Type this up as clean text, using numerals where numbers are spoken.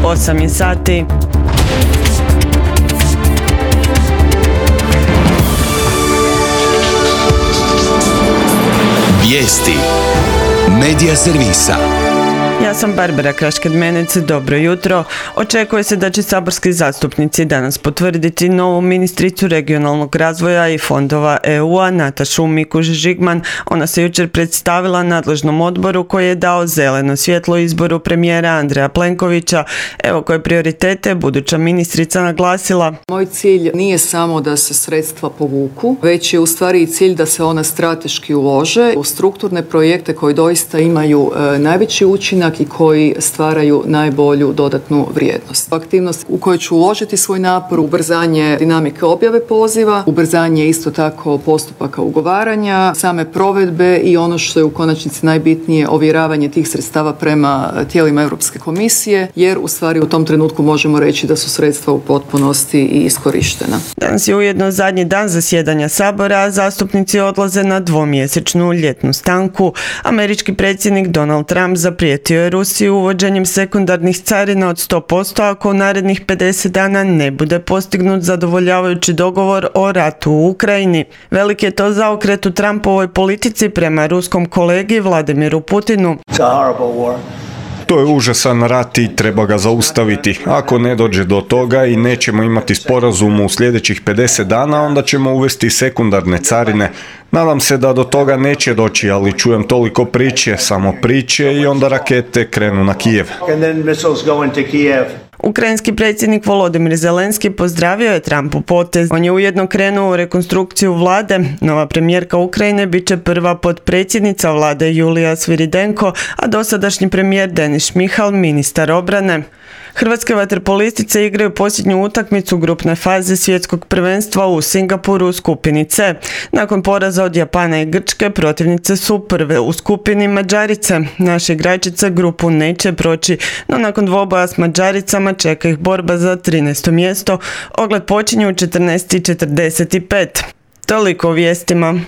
8 je sati. Vijesti Medija servisa. Ja sam Barbara Krašked-Menec, dobro jutro. Očekuje se da će saborski zastupnici danas potvrditi novu ministricu regionalnog razvoja i fondova EU-a Natašu Mikuš-Žigman. Ona se jučer predstavila nadležnom odboru koji je dao zeleno svjetlo izboru premijera Andreja Plenkovića. Evo koje prioritete buduća ministrica naglasila. Moj cilj nije samo da se sredstva povuku, već je u stvari i cilj da se ona strateški ulože u strukturne projekte koji doista imaju najveći učinak i koji stvaraju najbolju dodatnu vrijednost. Aktivnost u kojoj ću uložiti svoj napor, ubrzanje dinamike objave poziva, ubrzanje isto tako postupaka ugovaranja, same provedbe i ono što je u konačnici najbitnije, ovjeravanje tih sredstava prema tijelima Europske komisije, jer u stvari u tom trenutku možemo reći da su sredstva u potpunosti i iskorištena. Danas je ujedno zadnji dan zasjedanja Sabora, a zastupnici odlaze na dvomjesečnu ljetnu stanku. Američki predsjednik Donald Trump zaprijetio je Rusiju uvođenjem sekundarnih carina od 100% ako u narednih 50 dana ne bude postignut zadovoljavajući dogovor o ratu u Ukrajini. Velik je to zaokret u Trumpovoj politici prema ruskom kolegi Vladimiru Putinu. To je užasan rat i treba ga zaustaviti. Ako ne dođe do toga i nećemo imati sporazum u sljedećih 50 dana, onda ćemo uvesti sekundarne carine. Nadam se da do toga neće doći, ali čujem toliko priče, samo priče i onda rakete krenu na Kijev. Ukrajinski predsjednik Volodimir Zelenski pozdravio je Trumpov potez. On je ujedno krenuo u rekonstrukciju vlade. Nova premijerka Ukrajine bit će prva potpredsjednica vlade Julija Sviridenko, a dosadašnji premijer Denis Šmihal ministar obrane. Hrvatske vaterpolistice igraju posljednju utakmicu grupne faze svjetskog prvenstva u Singapuru u skupini C. Nakon poraza od Japana i Grčke, protivnice su prve u skupini Mađarice. Naše igračice grupu neće proći, no nakon dvoboja s Mađaricama čeka ih borba za 13. mjesto. Ogled počinje u 14:45. Toliko o vijestima.